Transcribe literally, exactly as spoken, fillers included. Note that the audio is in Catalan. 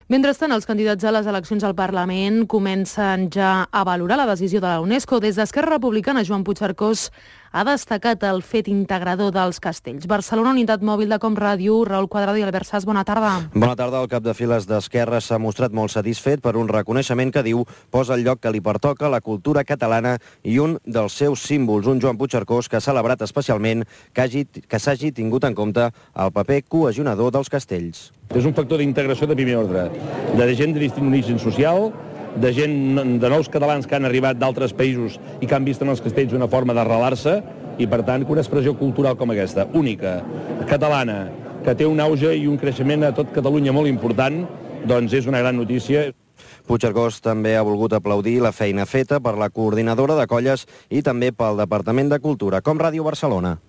Mentrestant, els candidats a les eleccions al Parlament comencen ja a valorar la decisió de la UNESCO. Des d'Esquerra Republicana, Joan Puigcercós ha destacat el fet integrador dels castells. Barcelona, unitat mòbil de Com Ràdio, Raül Quadrado i Albert Sas, bona tarda. Bona tarda. El cap de files d'Esquerra s'ha mostrat molt satisfet per un reconeixement que diu posa el lloc que li pertoca la cultura catalana i un dels seus símbols, un Joan Puigcercós que ha celebrat especialment que hagi, que s'hagi tingut en compte el paper cohesionador dels castells. És un factor d'integració de primer ordre, de gent de distinct origen social, de gent, de nous catalans que han arribat d'altres països i que han vist en els castells una forma d'arrelar-se i, per tant, una expressió cultural com aquesta, única, catalana, que té un auge i un creixement a tot Catalunya molt important, doncs és una gran notícia. Puigcercós també ha volgut aplaudir la feina feta per la coordinadora de colles i també pel Departament de Cultura, Com Ràdio Barcelona.